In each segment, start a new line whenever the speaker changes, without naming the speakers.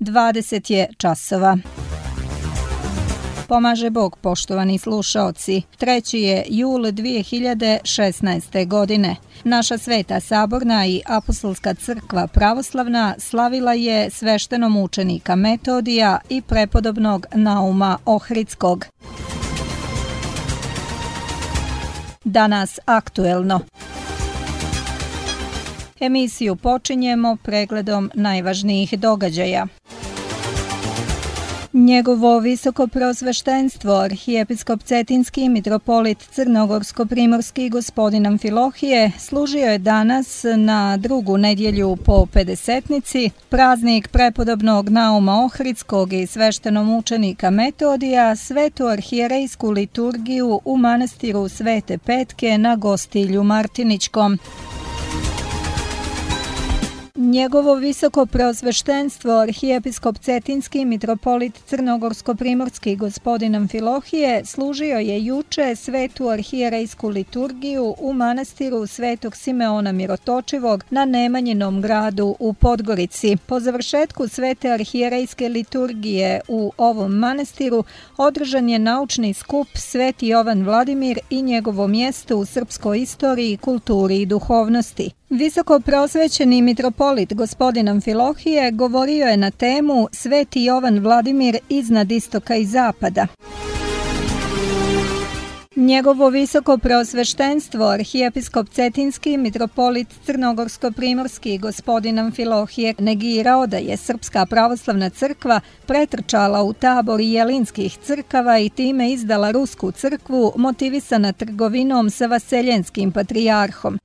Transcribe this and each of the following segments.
20 je časova. Pomaže Bog, poštovani slušaoci. 3. je jul 2016. godine. Naša Sveta Saborna i Apostolska crkva pravoslavna slavila je sveštenomučenika Metodija i prepodobnog Nauma Ohridskog. Danas aktuelno. Emisiju počinjemo pregledom najvažnijih događaja. Njegovo visokopreosveštenstvo, arhijepiskop Cetinski mitropolit Crnogorsko-primorski gospodin Amfilohije, služio je danas na drugu nedjelju po Pedesetnici, praznik prepodobnog Nauma Ohridskog i sveštenomučenika Metodija, svetu arhijerejsku liturgiju u manastiru Svete Petke na Gostilju Martiničkom. Njegovo visokopreosveštenstvo, arhijepiskop Cetinski mitropolit Crnogorsko-primorski gospodin Amfilohije, služio je juče svetu arhijerejsku liturgiju u manastiru Svetog Simeona Mirotočivog na Nemanjinom gradu u Podgorici. Po završetku svete arhijerejske liturgije u ovom manastiru održan je naučni skup Sveti Jovan Vladimir i njegovo mjesto u srpskoj istoriji, kulturi i duhovnosti. Visoko prosvećeni mitropolit gospodin Amfilohije govorio je na temu Sveti Jovan Vladimir iznad istoka i zapada. Njegovo visoko preosveštenstvo, arhijepiskop Cetinski mitropolit Crnogorsko-primorski gospodin Amfilohije negirao da je Srpska pravoslavna crkva pretrčala u tabor jelinskih crkava i time izdala Rusku crkvu motivisana trgovinom sa vaseljenskim patrijarhom.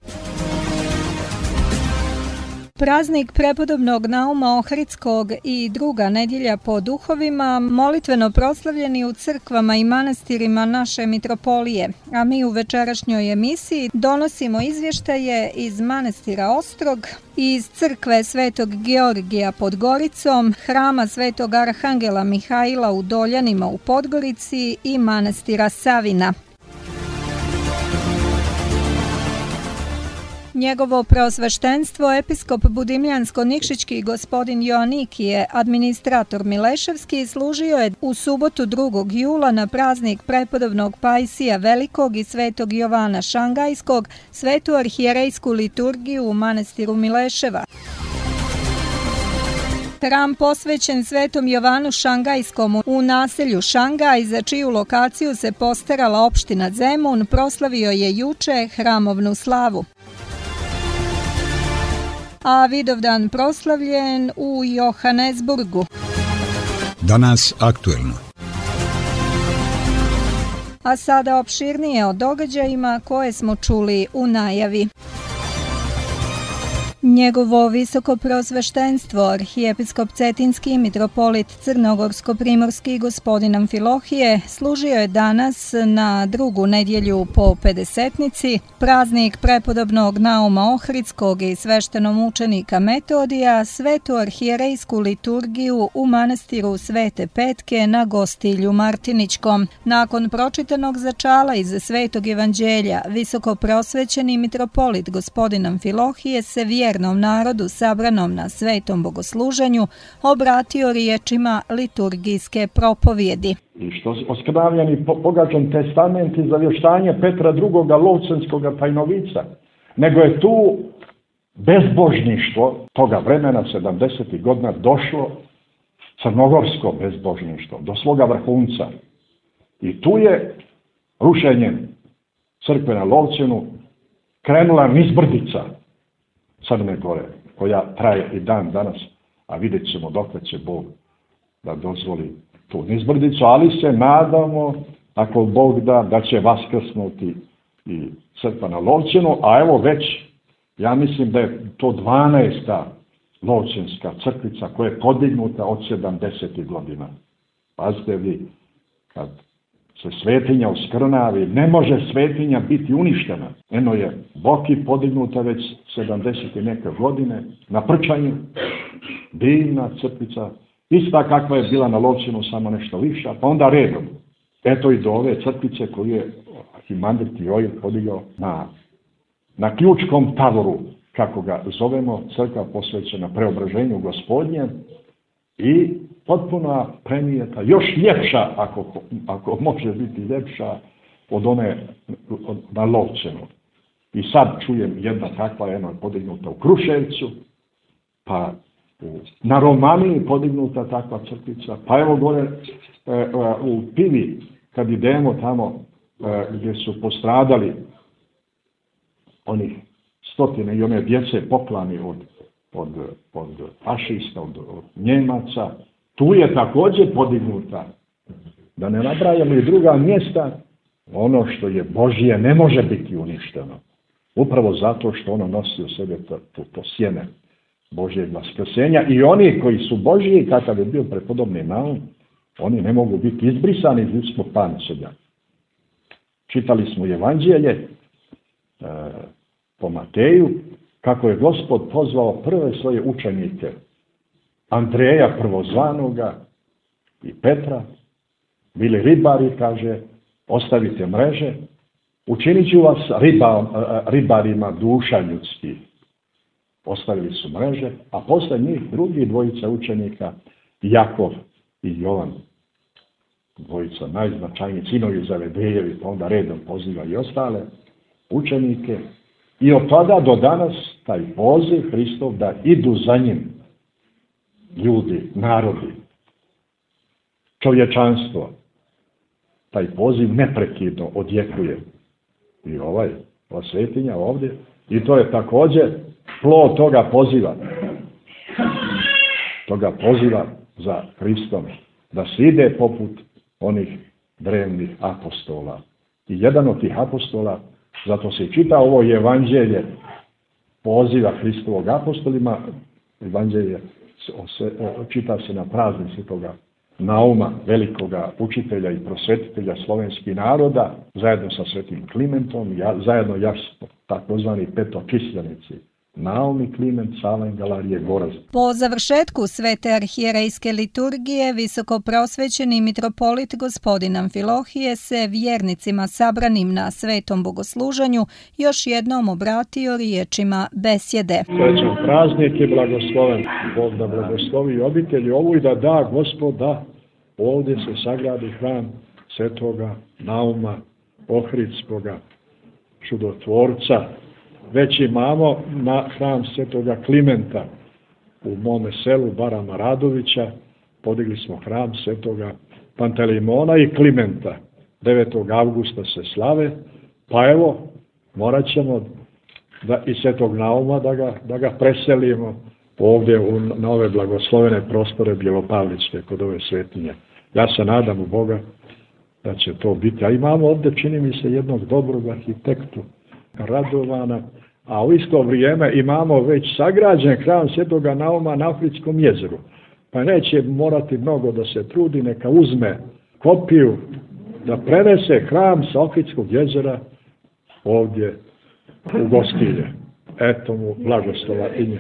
Praznik prepodobnog Nauma Ohridskog i druga nedjelja po duhovima molitveno proslavljeni u crkvama i manastirima naše mitropolije, a mi u večerašnjoj emisiji donosimo izvještaje iz manastira Ostrog, iz crkve Svetog Georgija pod Goricom, hrama Svetog Arhangela Mihajla u Doljanima u Podgorici i manastira Savina. Njegovo preosveštenstvo, episkop Budimljansko-Nikšićki gospodin Joanikije, administrator Mileševski, služio je u subotu 2. jula na praznik prepodobnog Pajsija Velikog i Svetog Jovana Šangajskog, svetu arhijerejsku liturgiju u manastiru Mileševa. Hram posvećen Svetom Jovanu Šangajskom u naselju Šangaj, za čiju lokaciju se postarala opština Zemun, proslavio je juče hramovnu slavu. A Vidovdan proslavljen u Johannesburgu.
Danas aktuelno.
A sada opširnije o događajima koje smo čuli u najavi. Njegovo visoko preosveštenstvo, arhijepiskop Cetinski mitropolit Crnogorsko-primorski gospodin Amfilohije, služio je danas na drugu nedjelju po Pedesetnici, praznik prepodobnog Nauma Ohridskog i sveštenomučenika Metodija, svetu arhijerejsku liturgiju u manastiru Svete Petke na Gostilju Martiničkom. Nakon pročitanog začala iz Svetog evanđelja, visoko preosvećeni mitropolit gospodin Amfilohije se vjernom narodu sabranom na svetom bogosluženju obratio riječima liturgijske propovjedi.
I što oskrnavljeni pogađan testament i zavještanje Petra II. Lovcenskoga tajnovica, nego je tu bezbožništvo toga vremena 70. godina došlo, crnogorsko bezbožništvo, do svoga vrhunca. I tu je rušenjem crkve na Lovcenu krenula nizbrdica Crne Gore, koja traje i dan danas, a vidjet ćemo dokle će Bog da dozvoli tu nizbrdicu, ali se nadamo, ako Bog da će vaskrsnuti i crkva na Lovcenu, a evo već, ja mislim da je to 12. Lovcenska crkvica koja je podignuta od 70. godina. Pazite vi, kad se svetinja uskrnavi, ne može svetinja biti uništena. Eno je Boki podignuta već 70. neke godine, na Prčanju, divna crkvica, ista kakva je bila na Lovcenu, samo nešto viša, pa onda redom. Eto i do ove crkvice koju je arhimandrit Joil podigao na Ključkom tavoru, kako ga zovemo, crkva posvećena preobraženju Gospodnje, i potpuna premijeta, još ljepša, ako može biti ljepša, od one na Lovćenu. I sad čujem jedna takva, jedna podignuta u Kruševcu, pa na Romaniji podignuta takva crkvica, pa evo gore u Pivi, kad idemo tamo gdje su postradali onih stotine i one djece poklani od fašista, od Njemaca, tu je također podignuta. Da ne nabrajamo i druga mjesta, ono što je Božje ne može biti uništeno. Upravo zato što ono nosi u sebe to sjeme Božjeg vaskrsenja i oni koji su Božji, kakav je bio prepodobni Naum, oni ne mogu biti izbrisani iz ljudskog pančelja. Čitali smo Evanđelje po Mateju, kako je Gospod pozvao prve svoje učenike, Andreja prvozvanoga i Petra, bili ribari, kaže, ostavite mreže, učinit ću vas ribarima duša ljudskih. Ostavili su mreže, a posle njih drugi dvojica učenika, Jakov i Jovan, dvojica najznačajniji sinovi Zebedejevi, pa onda redom poziva i ostale učenike. I od tada do danas taj poziv Hristov da idu za njim ljudi, narodi, čovječanstvo, taj poziv neprekidno odjekuje. I ova svetinja ovdje, i to je također plod toga poziva za Hristom, da se ide poput onih drevnih apostola. I jedan od tih apostola, zato se čita ovo Evanđelje poziva Hristovog apostolima, Evanđelje čita se na praznik Svetoga Nauma, velikoga učitelja i prosvetitelja slovenskih naroda, zajedno sa Svetim Klimentom, zajedno takozvani petokisljenici, Naum i Kliment, Salen, Galarije, Goraz.
Po završetku svete arhijerejske liturgije, visokoprosvećeni mitropolit gospodin Amfilohije se vjernicima sabranim na svetom bogosluženju još jednom obratio riječima besjede.
Srećan praznik je blagosloven, Bog da blagoslovi obitelji ovu i da Gospoda ovdje se sagradi hram svetoga Nauma Ohridskoga, čudotvorca. Već imamo na hram svetoga Klimenta u mome selu Barama Radovića, podigli smo hram svetoga Pantelimona i Klimenta. 9. avgusta se slave, pa evo, morat ćemo i svetog Nauma da ga preselimo ovdje na ove blagoslovene prostore Bjelopavličke kod ove svetinje. Ja se nadam u Boga da će to biti. A imamo ovdje, čini mi se, jednog dobrog arhitektu, Radovana, a u isto vrijeme imamo već sagrađen hram svetoga Nauma na Ohridskom jezeru. Pa neće morati mnogo da se trudi, neka uzme kopiju da prenese hram sa Ohridskog jezera ovdje u Gostilje. Eto mu blagoslova i nje.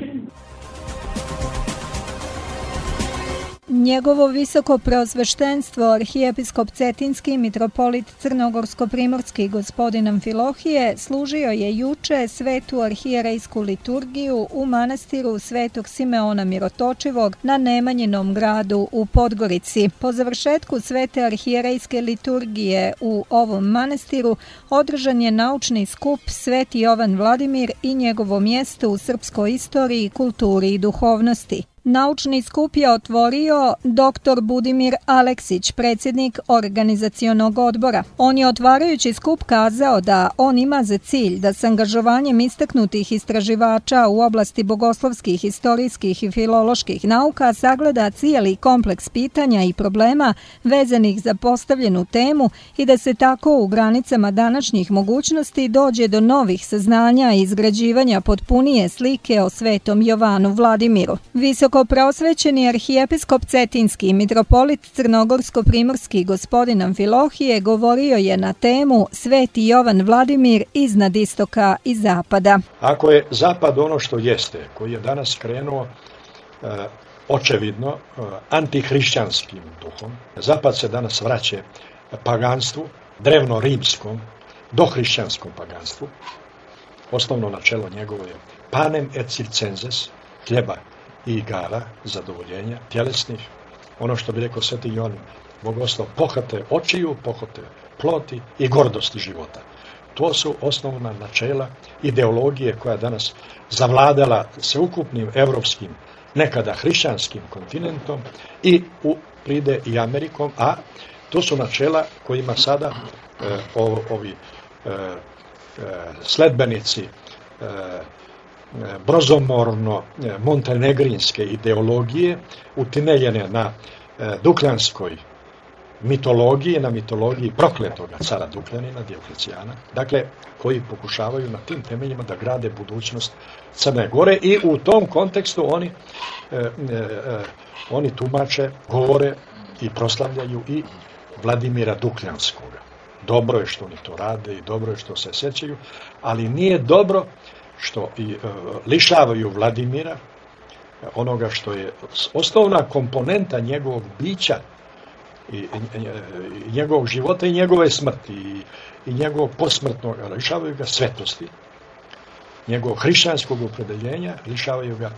Njegovo visoko preosveštenstvo arhijepiskop Cetinski mitropolit Crnogorsko-primorski gospodin Amfilohije služio je juče svetu arhijerejsku liturgiju u manastiru Svetog Simeona Mirotočivog na Nemanjinom gradu u Podgorici. Po završetku svete arhijerejske liturgije u ovom manastiru održan je naučni skup Sveti Jovan Vladimir i njegovo mjesto u srpskoj istoriji, kulturi i duhovnosti. Naučni skup je otvorio dr. Budimir Aleksić, predsjednik organizacionog odbora. On je otvarajući skup kazao da on ima za cilj da s angažovanjem istaknutih istraživača u oblasti bogoslovskih, historijskih i filoloških nauka sagleda cijeli kompleks pitanja i problema vezanih za postavljenu temu i da se tako u granicama današnjih mogućnosti dođe do novih saznanja i izgrađivanja potpunije slike o svetom Jovanu Vladimiru. Visokopreosvećeni arhijepiskop Cetinski mitropolit Crnogorsko-primorski gospodin Amfilohije govorio je na temu Sveti Jovan Vladimir iznad istoka i zapada.
Ako je zapad ono što jeste, koji je danas krenuo očevidno antihrišćanskim duhom, zapad se danas vraća paganstvu, drevno-rimskom, dohrišćanskom paganstvu. Osnovno načelo njegovo je panem et circenses, hljeba i igara, zadovoljenja, tjelesnih, ono što bi rekao Sveti Jovan Bogoslov, pohote očiju, pohote ploti i gordosti života. To su osnovna načela ideologije koja danas zavladala sveukupnim evropskim, nekada hrišćanskim kontinentom i pride i Amerikom, a to su načela kojima sada ovi sledbenici brozomorno-montenegrinske ideologije utemeljene na dukljanskoj mitologiji, na mitologiji prokletoga cara Dukljanina, Dioklecijana, dakle, koji pokušavaju na tim temeljima da grade budućnost Crne Gore i u tom kontekstu oni tumače, govore i proslavljaju i Vladimira Dukljanskoga. Dobro je što oni to rade i dobro je što se sećaju, ali nije dobro što lišavaju Vladimira onoga što je osnovna komponenta njegovog bića i njegovog života i njegove smrti i njegovog posmrtnog, lišavaju ga svetosti, njegovog hrišćanskog opredeljenja, lišavaju ga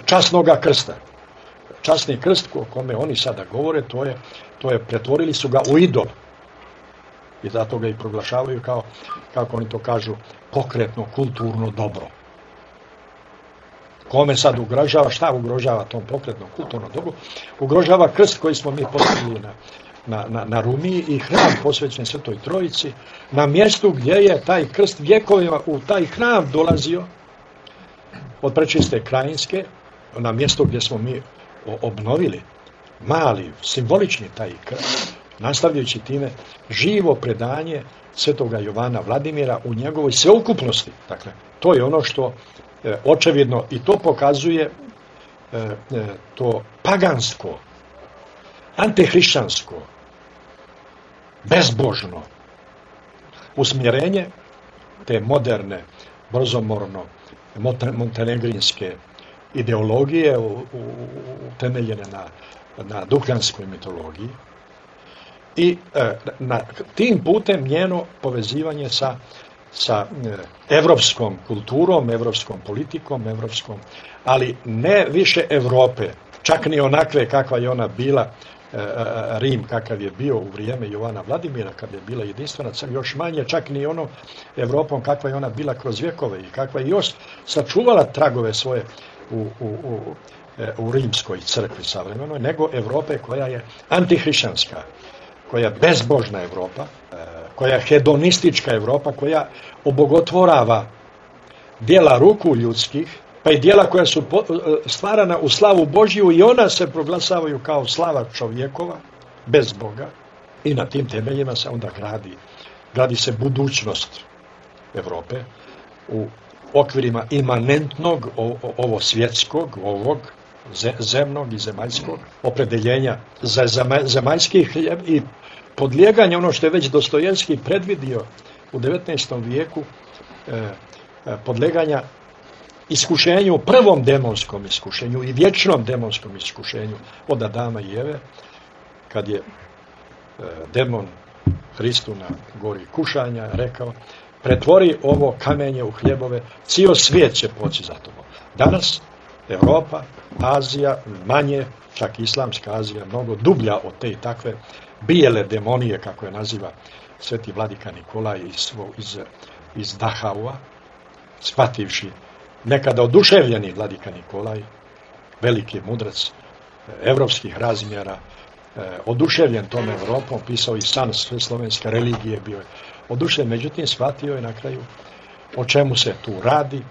časnoga krsta. Časni krst o kome oni sada govore, to je pretvorili su ga u idol. I zato ga i proglašavaju kao, kako oni to kažu, pokretno, kulturno dobro. Kome sad ugrožava, šta ugrožava tom pokretnom kulturnom dobru? Ugrožava krst koji smo mi postavili na Rumiji i hram posvećen Svetoj Trojici, na mjestu gdje je taj krst vjekovima u taj hram dolazio od Prečiste Krajinske, na mjesto gdje smo mi obnovili mali, simbolični taj krst, nastavljajući time živo predanje Svetoga Jovana Vladimira u njegovoj sveukupnosti. Dakle, to je ono što očevidno i to pokazuje to pagansko, antihrišćansko, bezbožno usmjerenje te moderne, brozomorno montenegrinske ideologije utemeljene na dukljanskoj mitologiji i tim putem njeno povezivanje sa evropskom kulturom, evropskom politikom, ali ne više Evrope, čak ni onakve kakva je ona bila, Rim kakav je bio u vrijeme Jovana Vladimira, kad je bila jedinstvena, još manje čak ni ono Evropom kakva je ona bila kroz vjekove i kakva je još sačuvala tragove svoje u rimskoj crkvi savremenoj, nego Evrope koja je antihrišćanska, koja je bezbožna Evropa, koja je hedonistička Evropa, koja obogotvorava djela ruku ljudskih, pa i djela koja su stvarana u slavu Božju i ona se proglasavaju kao slava čovjekova, bez Boga. I na tim temeljima se onda gradi se budućnost Evrope u okvirima imanentnog, ovo svjetskog, ovog zemnog i zemaljskog opredeljenja za zemaljski hljeb i podlijeganje, ono što je već Dostojevski predvidio u 19. vijeku, podlijeganja iskušenju, prvom demonskom iskušenju i vječnom demonskom iskušenju od Adama i Eve, kad je demon Hristu na gori kušanja rekao: pretvori ovo kamenje u hljebove, cijel svijet će poći za tobom. Danas Europa, Azija, manje, čak islamska Azija, mnogo dublja od te i takve bijele demonije, kako je naziva sveti vladika Nikolaj iz Dahaua, shvativši nekada oduševljeni vladika Nikolaj, veliki mudrac evropskih razmjera, oduševljen tom Evropom, pisao i san sve slovenske religije, bio je oduševljen, međutim shvatio je na kraju o čemu se tu radi,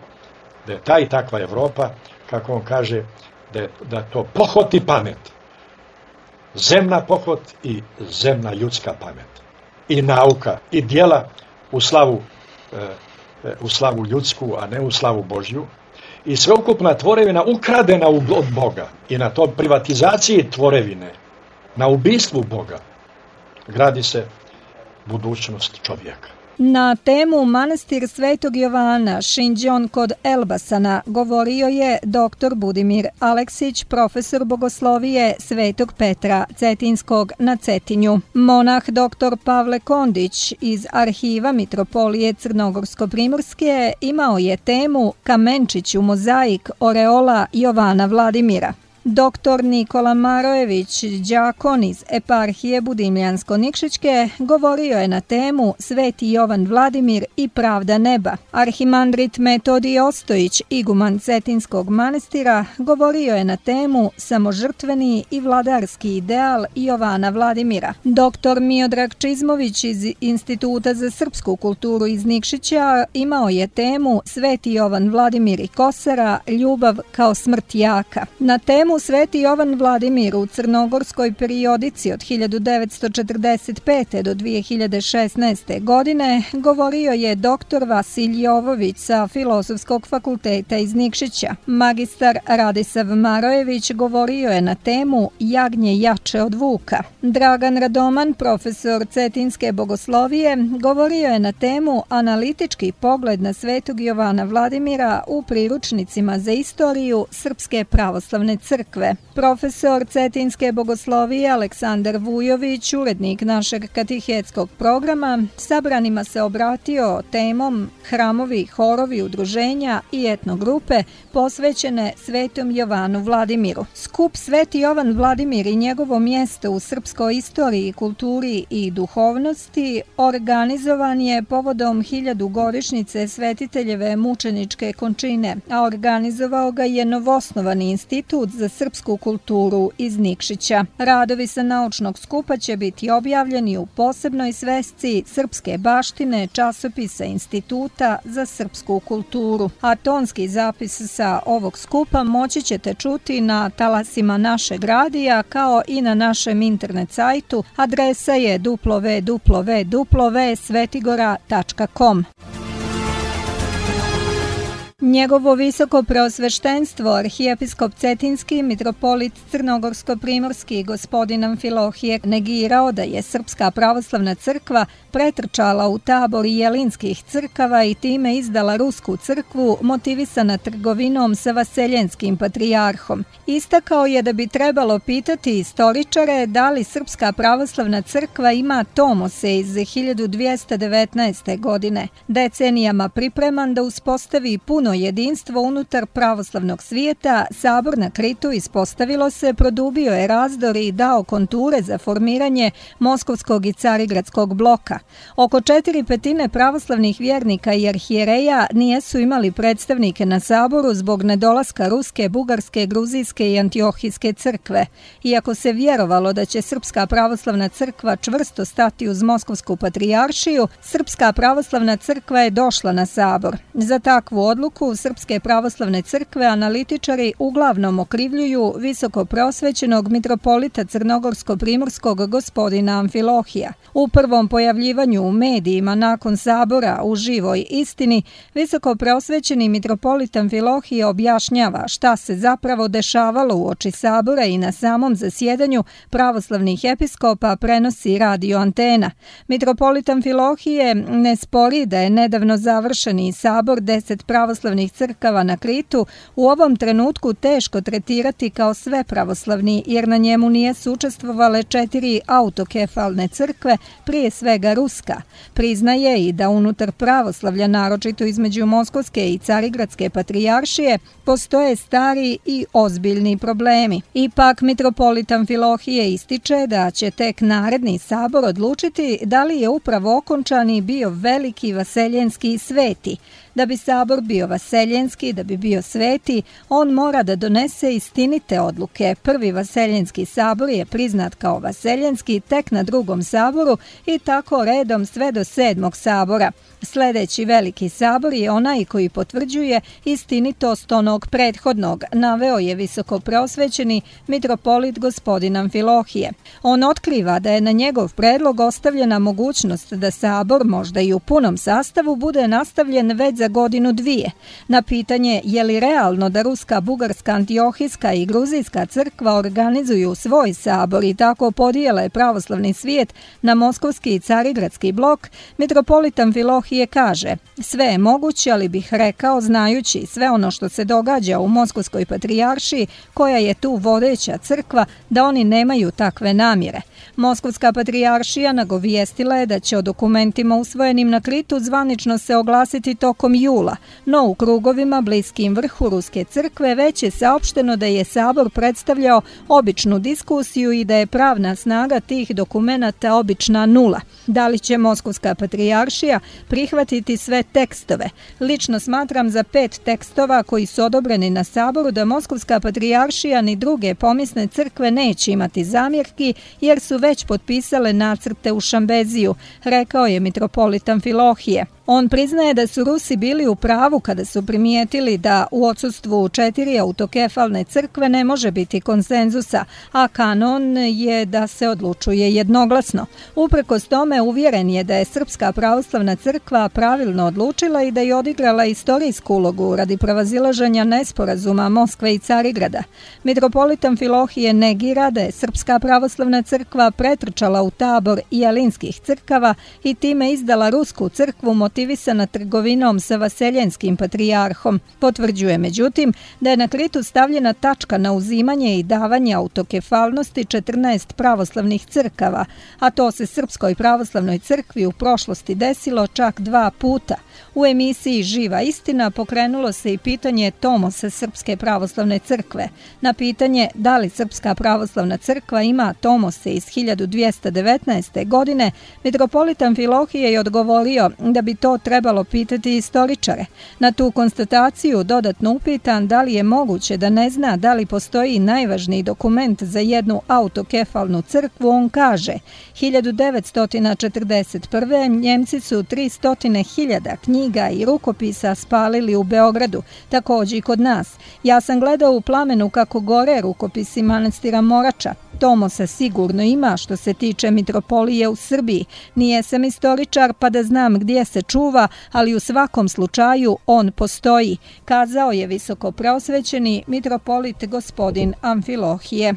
da je ta i takva Evropa, kako on kaže, da to pohot i pamet, zemna pohot i zemna ljudska pamet, i nauka, i djela u slavu ljudsku, a ne u slavu Božju, i sveukupna tvorevina ukradena od Boga i na to privatizaciji tvorevine, na ubistvu Boga, gradi se budućnost čovjeka.
Na temu Manastir Svetog Jovana Šinđon kod Elbasana govorio je dr. Budimir Aleksić, profesor bogoslovije Svetog Petra Cetinskog na Cetinju. Monah dr. Pavle Kondić iz arhiva Mitropolije Crnogorsko-primorske imao je temu Kamenčić u mozaik oreola Jovana Vladimira. Dr. Nikola Marojević, đakon iz eparhije Budimljansko-Nikšićke, govorio je na temu Sveti Jovan Vladimir i pravda neba. Arhimandrit Metodij Ostojić, iguman Cetinskog manastira, govorio je na temu Samožrtveni i vladarski ideal Jovana Vladimira. Dr. Miodrag Čizmović iz Instituta za srpsku kulturu iz Nikšića imao je temu Sveti Jovan Vladimir i Kosara, ljubav kao smrt jaka. Na temu Sveti Jovan Vladimir u crnogorskoj periodici od 1945. do 2016. godine govorio je dr. Vasilj Jovović sa Filozofskog fakulteta iz Nikšića. Magistar Radisav Marojević govorio je na temu Jagnje jače od vuka. Dragan Radoman, profesor cetinske bogoslovije, govorio je na temu Analitički pogled na Svetog Jovana Vladimira u priručnicima za istoriju Srpske pravoslavne crkve. Profesor cetinske bogoslovije Aleksandar Vujović, urednik našeg katehetskog programa, sabranima se obratio temom hramovi, horovi, udruženja i etnogrupe posvećene Svetom Jovanu Vladimiru. Skup Sveti Jovan Vladimir i njegovo mjesto u srpskoj istoriji, kulturi i duhovnosti organizovan je povodom 1000-godišnjice Svetiteljeve mučeničke končine, a organizovao ga je novosnovani Institut za srpsku kulturu iz Nikšića. Radovi sa naučnog skupa će biti objavljeni u posebnoj svesci srpske baštine časopisa Instituta za srpsku kulturu. A tonski zapis sa ovog skupa moći ćete čuti na talasima našeg radija kao i na našem internet sajtu. Adresa je www.svetigora.com. Njegovo visoko preosveštenstvo, arhijepiskop Cetinski, mitropolit Crnogorsko-primorski gospodin Amfilohije negirao da je Srpska pravoslavna crkva pretrčala u tabor jelinskih crkava i time izdala Rusku crkvu motivisana trgovinom sa vaseljenskim patrijarhom. Istakao je da bi trebalo pitati istoričare da li Srpska pravoslavna crkva ima tomose iz 1219. godine, decenijama pripreman da uspostavi puno jedinstvo unutar pravoslavnog svijeta. Sabor na Kritu, ispostavilo se, produbio je razdor i dao konture za formiranje Moskovskog i Carigradskog bloka. Oko 4/5 pravoslavnih vjernika i arhijereja nijesu imali predstavnike na saboru zbog nedolaska Ruske, Bugarske, Gruzijske i Antiohijske crkve. Iako se vjerovalo da će Srpska pravoslavna crkva čvrsto stati uz Moskovsku patrijaršiju, Srpska pravoslavna crkva je došla na sabor. Za takvu odluku Srpske pravoslavne crkve analitičari uglavnom okrivljuju visoko preosvećenog mitropolita Crnogorsko-primorskog gospodina Amfilohija. U prvom pojavljivanju u medijima nakon sabora u Živoj istini, visoko preosvećeni mitropolit Amfilohije objašnjava šta se zapravo dešavalo uoči sabora i na samom zasjedanju pravoslavnih episkopa prenosi radio antena. Mitropolit Amfilohije ne spori da je nedavno završeni sabor 10 pravoslavnih crkava na Kritu u ovom trenutku teško tretirati kao sve pravoslavni, jer na njemu nijesu učestvovale 4 autokefalne crkve, prije svega Ruska. Priznaje i da unutar pravoslavlja, naročito između Moskovske i Carigradske patrijaršije, postoje stari i ozbiljni problemi. Ipak mitropolit Amfilohije ističe da će tek naredni sabor odlučiti da li je upravo okončani bio veliki vaseljenski sveti. Da bi sabor bio vaseljenski, da bi bio sveti, on mora da donese istinite odluke. Prvi vaseljenski sabor je priznat kao vaseljenski tek na drugom saboru i tako redom sve do 7. sabora. Sljedeći veliki sabor je onaj koji potvrđuje istinitost onog prethodnog, naveo je visoko preosvećeni mitropolit gospodin Amfilohije. On otkriva da je na njegov predlog ostavljena mogućnost da sabor, možda i u punom sastavu, bude nastavljen već za za godinu dvije. Na pitanje je li realno da ruska, bugarska, antiohijska i gruzijska crkva organizuju svoj sabor i tako podijele pravoslavni svijet na moskovski i carigradski blok, mitropolit Amfilohije kaže: sve je moguće, ali bih rekao, znajući sve ono što se događa u Moskovskoj patrijaršiji, koja je tu vodeća crkva, da oni nemaju takve namjere. Moskovska patrijaršija nagovijestila je da će o dokumentima usvojenim na Kritu zvanično se oglasiti tokom jula, no u krugovima bliskim vrhu Ruske crkve već je saopšteno da je sabor predstavljao običnu diskusiju i da je pravna snaga tih dokumenata obična nula. Da li će Moskovska patrijaršija prihvatiti sve tekstove? Lično smatram za 5 tekstova koji su odobreni na saboru da Moskovska patrijaršija ni druge pomisne crkve neće imati zamjerki, jer su već potpisale nacrte u Šambeziju, rekao je mitropolit Amfilohije. On priznaje da su Rusi bili u pravu kada su primijetili da u odsustvu 4 autokefalne crkve ne može biti konsenzusa, a kanon je da se odlučuje jednoglasno. Uprkos tome uvjeren je da je Srpska pravoslavna crkva pravilno odlučila i da je odigrala istorijsku ulogu radi prevazilaženja nesporazuma Moskve i Carigrada. Mitropolit Amfilohije negira da je Srpska pravoslavna crkva pretrčala u tabor jelinskih crkava i time izdala Rusku crkvu motivisana trgovinom sa vaseljenskim patrijarhom. Potvrđuje međutim da je na Kritu stavljena tačka na uzimanje i davanje autokefalnosti 14 pravoslavnih crkava, a to se Srpskoj pravoslavnoj crkvi u prošlosti desilo čak 2 puta. U emisiji Živa istina pokrenulo se i pitanje tomosa Srpske pravoslavne crkve. Na pitanje da li Srpska pravoslavna crkva ima tomose iz 1219. godine, mitropolit Amfilohije je odgovorio da bi to trebalo pitati istoričare. Na tu konstataciju dodatno upitan da li je moguće da ne zna da li postoji najvažniji dokument za jednu autokefalnu crkvu, on kaže: 1941. Njemci su 300.000 knjiga i rukopisa spalili u Beogradu, također i kod nas. Ja sam gledao u plamenu kako gore rukopisi manastira Morača. Tomosa sigurno ima što se tiče mitropolije u Srbiji. Nije sam istoričar pa da znam gdje se čuva, ali u svakom slučaju on postoji, kazao je visoko preosvećeni mitropolit gospodin Amfilohije.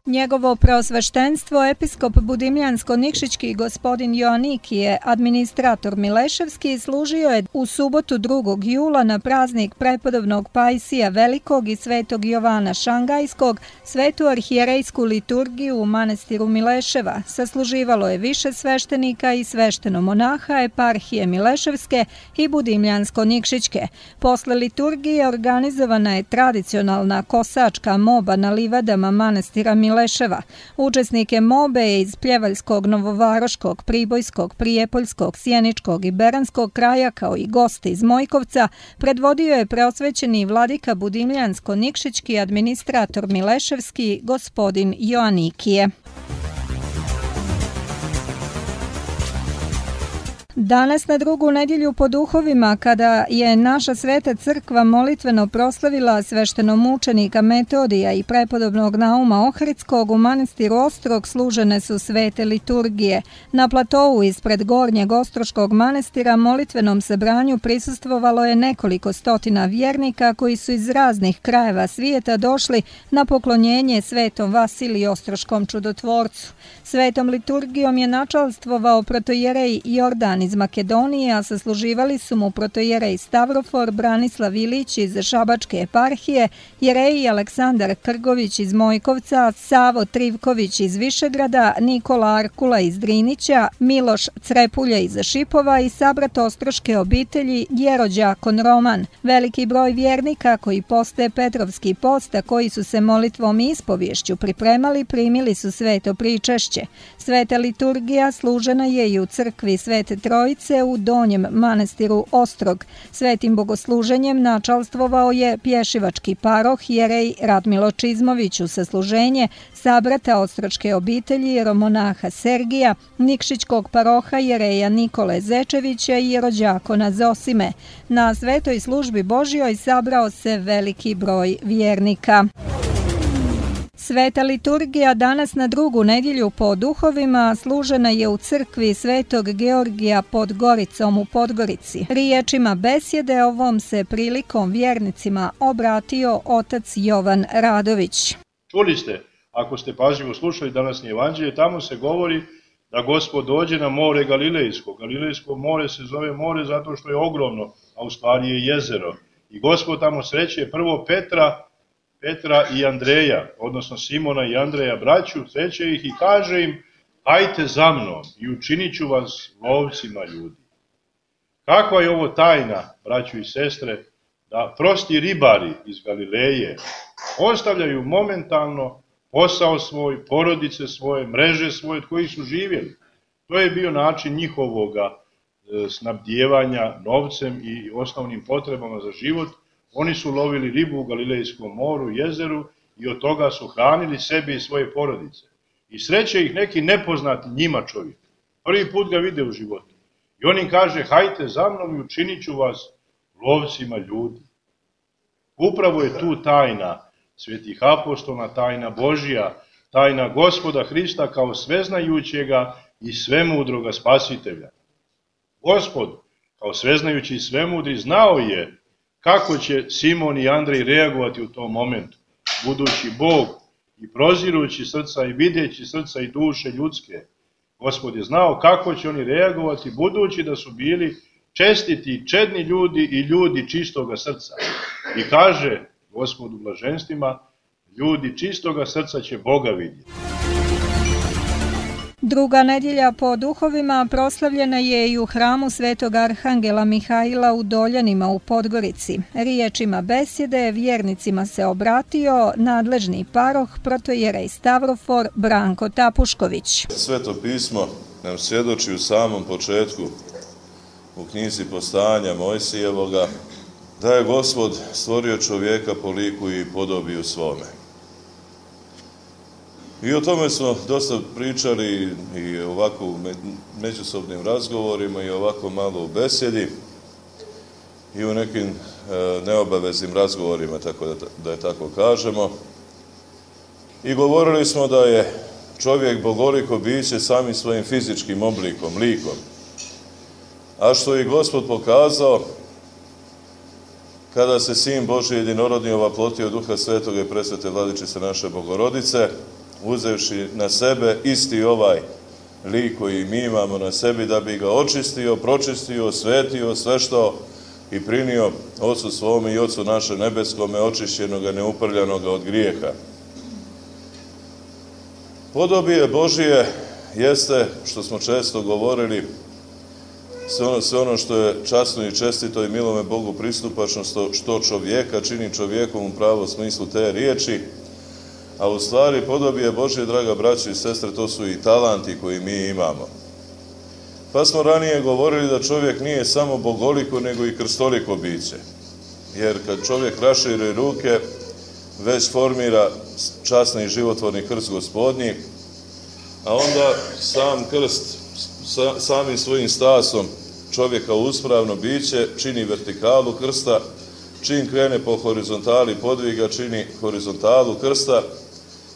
Njegovo preosveštenstvo, episkop Budimljansko-Nikšićki gospodin Joanikije, administrator Mileševski, služio je u subotu 2. jula na praznik prepodobnog Pajsija Velikog i svetog Jovana Šangajskog svetu arhijerejsku liturgiju u manastiru Mileševa. Sasluživalo je više sveštenika i sveštenomonaha eparhije Mileševske i Budimljansko-Nikšićke. Posle liturgije organizovana je tradicionalna kosačka moba na livadama manastira Mileševa. Učesnike mobe je iz Pljevaljskog, Novovaroškog, Pribojskog, Prijepoljskog, Sjeničkog i Beranskog kraja, kao i goste iz Mojkovca, predvodio je preosvećeni vladika Budimljansko-Nikšićki administrator Mileševski gospodin Joanikije. Danas na drugu nedjelju po duhovima, kada je naša sveta crkva molitveno proslavila sveštenomučenika Metodija i prepodobnog Nauma Ohridskog, u manastiru Ostrog služene su svete liturgije. Na platovu ispred Gornjeg Ostroškog manastira molitvenom sabranju prisustvovalo je nekoliko stotina vjernika koji su iz raznih krajeva svijeta došli na poklonjenje svetom Vasiliju Ostroškom čudotvorcu. Svetom liturgijom je načalstvovao protojerej Jordan iz Makedonije, a sasluživali su mu protojerej Stavrofor, Branislav Ilić iz Šabačke eparhije, jereji Aleksandar Krgović iz Mojkovca, Savo Trivković iz Višegrada, Nikola Arkula iz Drinića, Miloš Crepulja iz Šipova i sabrat ostroške obitelji Jerođakon Roman. Veliki broj vjernika koji poste Petrovski post, a koji su se molitvom i ispovješću pripremali, primili su sveto pričešće. Sveta liturgija služena je i u crkvi Svete Trojice u Donjem manastiru Ostrog. Svetim bogosluženjem načalstvovao je pješivački paroh jerej Radmilo Čizmović u sasluženje sabrata ostročke obitelji jeromonaha Sergija, Nikšićkog paroha jereja Nikole Zečevića i jerođakona Zosime. Na svetoj službi Božjoj sabrao se veliki broj vjernika. Sveta liturgija danas na drugu nedjelju po duhovima služena je u crkvi Svetog Georgija pod Goricom u Podgorici. Riječima besjede ovom se prilikom vjernicima obratio otac Jovan Radović.
Čuli ste, ako ste pažljivo slušali današnje evanđelje, tamo se govori da Gospod dođe na more Galilejsko. Galilejsko more se zove more zato što je ogromno, a u stvari je jezero. I Gospod tamo sreće prvo Petra i Andreja, odnosno Simona i Andreja, braću, sreće ih i kaže im: hajte za mnom i učinit ću vas lovcima ljudi. Kakva je ovo tajna, braću i sestre, da prosti ribari iz Galileje ostavljaju momentalno posao svoj, porodice svoje, mreže svoje od kojih su živjeli. To je bio način njihovoga snabdijevanja novcem i osnovnim potrebama za život. Oni su lovili ribu u Galilejskom moru, jezeru i od toga su hranili sebe i svoje porodice. I sreće ih neki nepoznati njima čovjek. Prvi put ga vide u životu. I on im kaže: hajte za mnom i učinit ću vas lovcima ljudi. Upravo je tu tajna svetih apostola, tajna Božija, tajna Gospoda Hrista kao sveznajućega i svemudroga spasitelja. Gospod, kao sveznajući i svemudri, znao je kako će Simon i Andrej reagovati u tom momentu, budući Bog i prozirući srca i videći srca i duše ljudske. Gospod je znao kako će oni reagovati, budući da su bili čestiti, čedni ljudi i ljudi čistoga srca. I kaže Gospod u blaženstvima: ljudi čistoga srca će Boga vidjeti.
Druga nedjelja po duhovima proslavljena je i u hramu Svetog Arhangela Mihajla u Doljanima u Podgorici. Riječima besjede vjernicima se obratio nadležni paroh protojerej Stavrofor Branko Tapušković.
Sveto pismo nam svjedoči u samom početku u knjizi Postajanja Mojsijevoga da je Gospod stvorio čovjeka po liku i podobiju svome. I o tome smo dosta pričali i ovako u međusobnim razgovorima i ovako malo u besjedi i u nekim neobaveznim razgovorima, tako da je tako kažemo. I govorili smo da je čovjek bogoliko biće samim svojim fizičkim oblikom, likom. A što je Gospod pokazao kada se Sin Božji jedinorodni ovaplotio Duha Svetoga i presvete Vladičice naše Bogorodice, uzevši na sebe isti ovaj lik koji mi imamo na sebi, da bi ga očistio, pročistio, osvetio, sveštao i prinio Otcu svome i Otcu naše nebeskome, očišćenoga, neuprljanoga od grijeha. Podobije Božije jeste, što smo često govorili, sve ono što je časno i čestito i milome Bogu pristupačno, što čovjeka čini čovjekom u pravom smislu te riječi, a u stvari podobije Božje, draga braćo i sestre, to su i talanti koji mi imamo. Pa smo ranije govorili da čovjek nije samo bogoliko, nego i krstoliko biće. Jer kad čovjek raširi ruke, već formira časni i životvorni krst Gospodnji, a onda sam krst samim svojim stasom čovjeka uspravno biće čini vertikalu krsta, čim krene po horizontali podviga čini horizontalu krsta,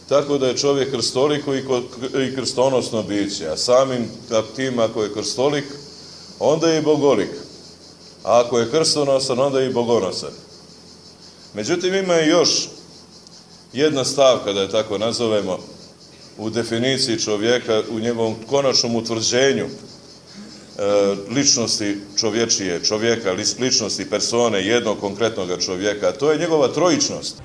tako da je čovjek krstoliko i krstonosno biće, a samim tim ako je krstolik, onda je i bogolik, a ako je krstonosan, onda je i bogonosan. Međutim, ima i još jedna stavka, da je tako nazovemo, u definiciji čovjeka, u njegovom konačnom utvrđenju ličnosti čovječije, čovjeka, ličnosti persone, jednog konkretnog čovjeka, a to je njegova trojičnost.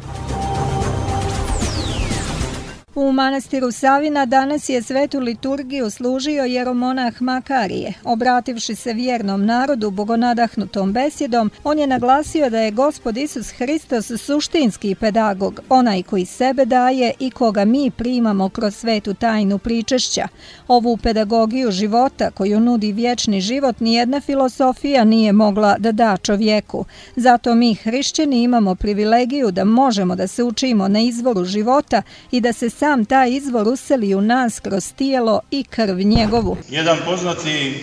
U manastiru Savina danas je svetu liturgiju služio jeromonah Makarije. Obrativši se vjernom narodu bogonadahnutom besjedom, on je naglasio da je Gospod Isus Hristos suštinski pedagog, onaj koji sebe daje i koga mi primamo kroz svetu tajnu pričešća. Ovu pedagogiju života koju nudi vječni život nijedna filosofija nije mogla da da čovjeku. Zato mi hrišćani imamo privilegiju da možemo da se učimo na izvoru života i da se sam taj izvor useli u nas kroz tijelo i krv njegovu.
Jedan poznati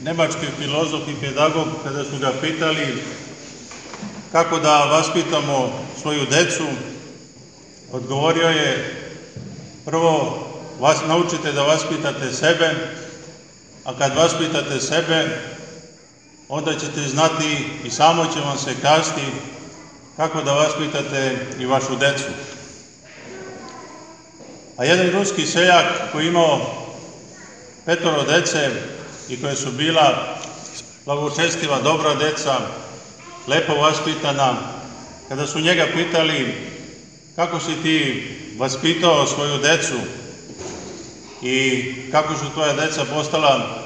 nemački filozof i pedagog, kada su ga pitali kako da vaspitamo svoju decu, odgovorio je: prvo vas naučite da vaspitate sebe, a kad vaspitate sebe, onda ćete znati i samo će vam se kazati kako da vaspitate i vašu decu. A jedan ruski seljak koji je imao 5 dece i koje su bila blagočestiva, dobra deca, lepo vaspitana, kada su njega pitali kako si ti vaspitao svoju decu i kako su tvoja deca postala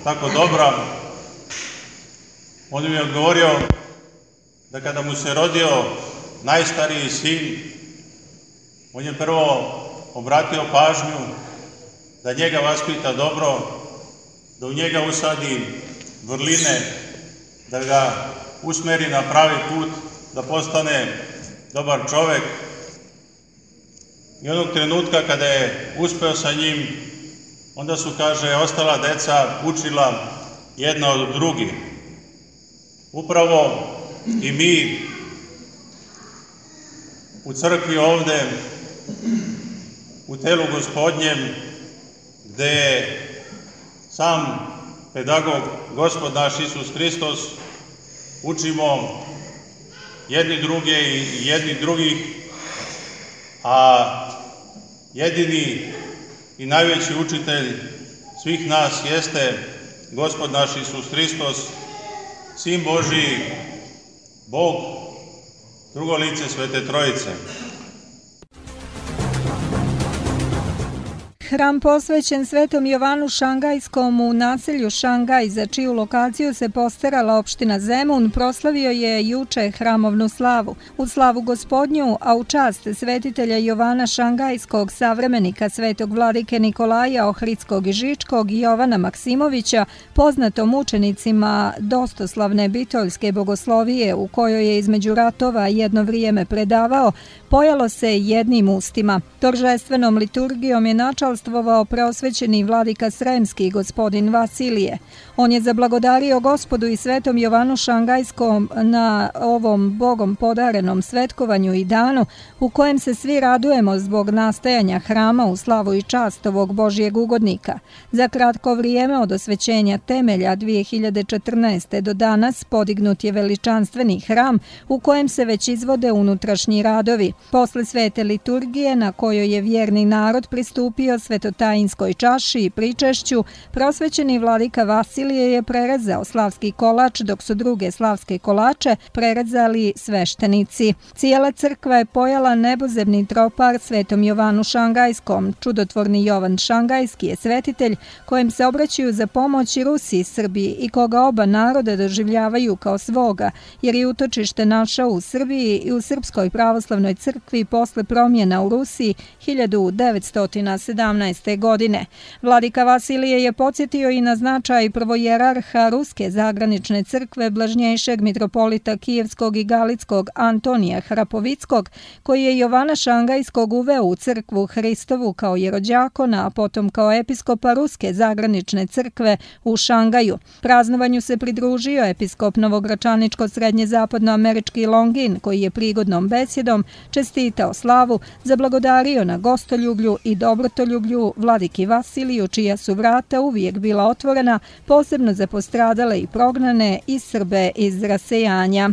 tako dobra, on mi je odgovorio da kada mu se rodio najstariji sin, on je prvo obratio pažnju da njega vaspita dobro, da u njega usadi vrline, da ga usmeri na pravi put, da postane dobar čovek. I onog trenutka kada je uspeo sa njim, onda su, kaže, ostala deca učila jedna od drugih. Upravo i mi u crkvi ovde, u telu Gospodnjem, gde je sam pedagog, Gospod naš Isus Hristos, učimo jedni druge i jedni drugih, a jedini i najveći učitelj svih nas jeste Gospod naš Isus Hristos, Sin Božiji, Bog, drugo lice Svete Trojice.
Hram posvećen Svetom Jovanu Šangajskom u naselju Šangaj, za čiju lokaciju se postarala opština Zemun, proslavio je juče hramovnu slavu. U slavu Gospodnju, a u čast svetitelja Jovana Šangajskog, savremenika svetog vladike Nikolaja Ohridskog i Žičkog i Jovana Maksimovića, poznatom učenicima dostoslavne bitoljske bogoslovije, u kojoj je između ratova jedno vrijeme predavao, pojalo se jednim ustima. Торжественom liturgijom je načalstvovao preosvećeni vladika Sremski, gospodin Vasilije. On je zablagodario Gospodu i Svetom Jovanu Šangajskom na ovom Bogom podarenom svetkovanju i danu, u kojem se svi radujemo zbog nastajanja hrama u slavu i čast ovog Božijeg ugodnika. Za kratko vrijeme od osvećenja temelja 2014. do danas podignut je veličanstveni hram u kojem se već izvode unutrašnji radovi. Posle svete liturgije, na kojoj je vjerni narod pristupio svetotajinskoj čaši i pričešću, prosvećeni vladika Vasilije je prerezao slavski kolač, dok su druge slavske kolače prerezali sveštenici. Cijela crkva je pojala nebozemni tropar Svetom Jovanu Šangajskom. Čudotvorni Jovan Šangajski je svetitelj kojem se obraćaju za pomoć i Rusi i Srbiji i koga oba naroda doživljavaju kao svoga, jer je utočište našao u Srbiji i u Srpskoj pravoslavnoj crkvi posle promjena u Rusiji 1917. godine. Vladika Vasilije je podsjetio i na značaj prvojerarha Ruske zagranične crkve blažnjejšeg mitropolita Kijevskog i Galickog Antonija Hrapovickog, koji je Jovana Šangajskog uveo u crkvu Hristovu kao jerođakona, a potom kao episkopa Ruske zagranične crkve u Šangaju. Praznovanju se pridružio episkop novogračaničko-srednje zapadnoamerički Longin, koji je prigodnom besjedom čestitao slavu, zablagodario na gostoljublju i dobrotoljublju vladiki Vasiliju, čija su vrata uvijek bila otvorena, posebno za postradale i prognane i Srbe iz rasejanja.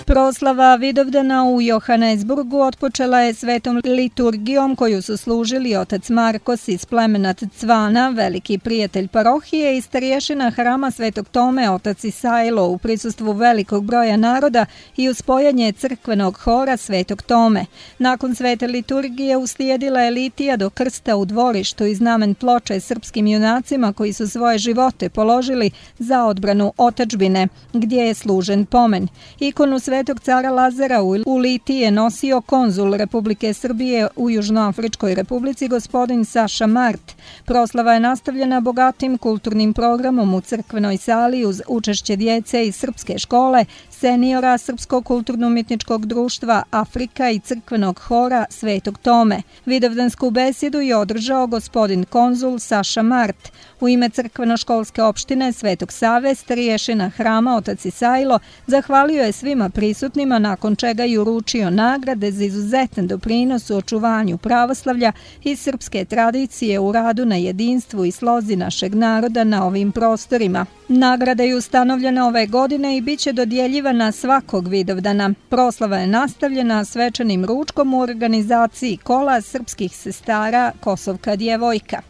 Proslava Vidovdana u Johannesburgu otpočela je svetom liturgijom koju su služili otac Markos iz plemena Cvana, veliki prijatelj parohije, i starješina hrama Svetog Tome, otac Isajlo, u prisustvu velikog broja naroda i uz spojanje crkvenog hora Svetog Tome. Nakon svete liturgije uslijedila je litija do krsta u dvorištu i znamen ploče srpskim junacima koji su svoje živote položili za odbranu otadžbine, gdje je služen pomen. Ikonu Svetog cara Lazara u litiji je nosio konzul Republike Srbije u Južnoafričkoj republici, gospodin Saša Mart. Proslava je nastavljena bogatim kulturnim programom u crkvenoj sali uz učešće djece iz srpske škole, seniora Srpskog kulturno-umjetničkog društva Afrika i crkvenog hora Svetog Tome. Vidovdansku besedu je održao gospodin konzul Saša Mart. U ime crkveno-školske opštine Svetog Save, starješina hrama otac Isajlo zahvalio je svima prisutnima, nakon čega je uručio nagrade za izuzetan doprinos u očuvanju pravoslavlja i srpske tradicije u radu na jedinstvu i slozi našeg naroda na ovim prostorima. Nagrada je ustanovljena ove godine i bit će dodjeljivana svakog Vidovdana. Proslava je nastavljena svečanim ručkom u organizaciji kola srpskih sestara Kosovka djevojka.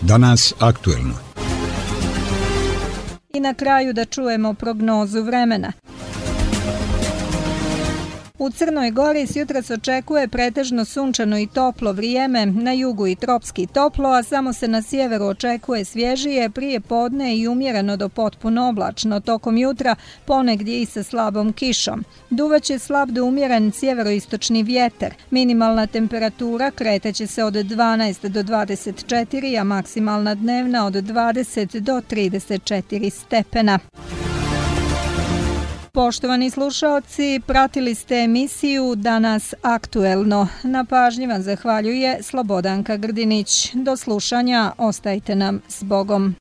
Danas aktuelno.
I na kraju da čujemo prognozu vremena. U Crnoj Gori s jutros očekuje pretežno sunčano i toplo vrijeme, na jugu i tropski toplo, a samo se na sjeveru očekuje svježije, prije podne i umjereno do potpuno oblačno, tokom jutra ponegdje i sa slabom kišom. Duvaće slab do umjeren sjeveroistočni vjetar, minimalna temperatura kreteće se od 12 do 24, a maksimalna dnevna od 20 do 34 stepena. Poštovani slušaoci, pratili ste emisiju Danas aktuelno. Na pažnji vam zahvaljuje Slobodanka Grdinić. Do slušanja, ostajte nam s Bogom.